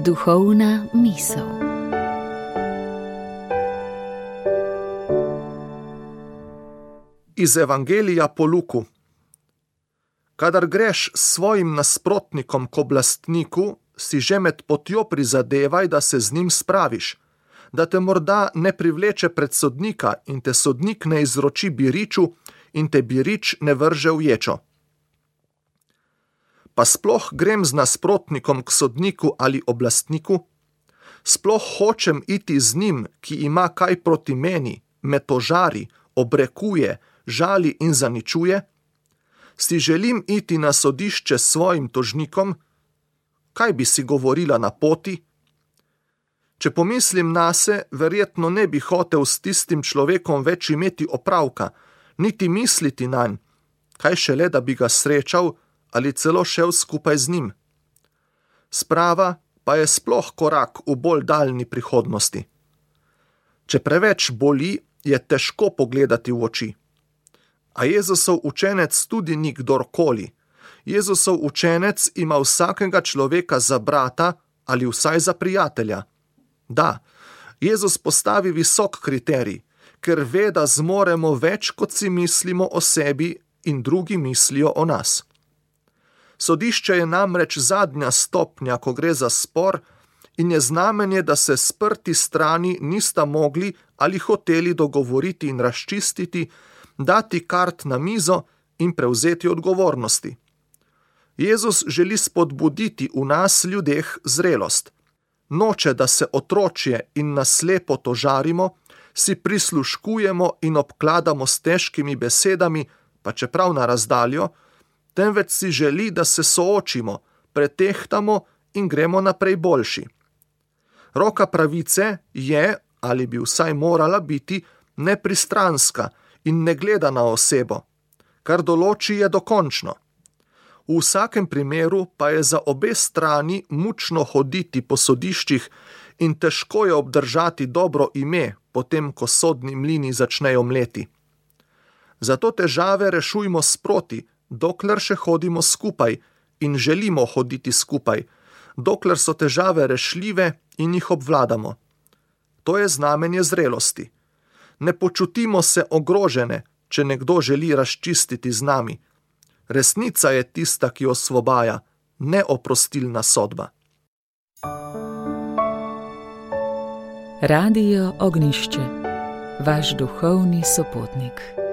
Duhovna misel. Iz Evangelija po Luku. Kadar greš s svojim nasprotnikom k oblastniku, si že med potjo prizadevaj, da se z njim spraviš, da te morda ne privleče pred sodnika in te sodnik ne izroči biriču in te birič ne vrže v ječo. Pa sploh grem z nasprotnikom k sodniku ali oblastniku? Sploh hočem iti z njim, ki ima kaj proti meni, me tožari, obrekuje, žali in zaničuje? Si želim iti na sodišče s svojim tožnikom? Kaj bi si govorila na poti? Če pomislim nase, verjetno ne bi hotel s tistim človekom več imeti opravka, niti misliti nanj, kaj šele, da bi ga srečal ali celo šel skupaj z njim. Sprava pa je sploh korak v bolj daljni prihodnosti. Če preveč boli, je težko pogledati v oči. A Jezusov učenec tudi ni kdorkoli. Jezusov učenec ima vsakega človeka za brata ali vsaj za prijatelja. Da, Jezus postavi visok kriterij, ker ve, da zmoremo več, kot si mislimo o sebi in drugi mislijo o nas. Sodišče je namreč zadnja stopnja, ko gre za spor, in je znamenje, da se sprti strani nista mogli ali hoteli dogovoriti in razčistiti, dati kart na mizo in prevzeti odgovornosti. Jezus želi spodbuditi v nas ljudeh zrelost. Noče, da se otročje in naslepo tožarimo, si prisluškujemo in obkladamo s težkimi besedami, pa čeprav na razdaljo, temveč si želi, da se soočimo, pretehtamo in gremo naprej boljši. Roka pravice je, ali bi vsaj morala biti, nepristranska in ne gleda na osebo. Kar določi, je dokončno. V vsakem primeru pa je za obe strani mučno hoditi po sodiščih in težko je obdržati dobro ime, potem ko sodni mlini začnejo mleti. Zato težave rešujmo sproti, dokler še hodimo skupaj in želimo hoditi skupaj, dokler so težave rešljive in jih obvladamo. To je znamenje zrelosti. Ne počutimo se ogrožene, če nekdo želi razčistiti z nami. Resnica je tista, ki osvobaja, ne oprostilna sodba. Radio Ognjišče, vaš duhovni sopotnik.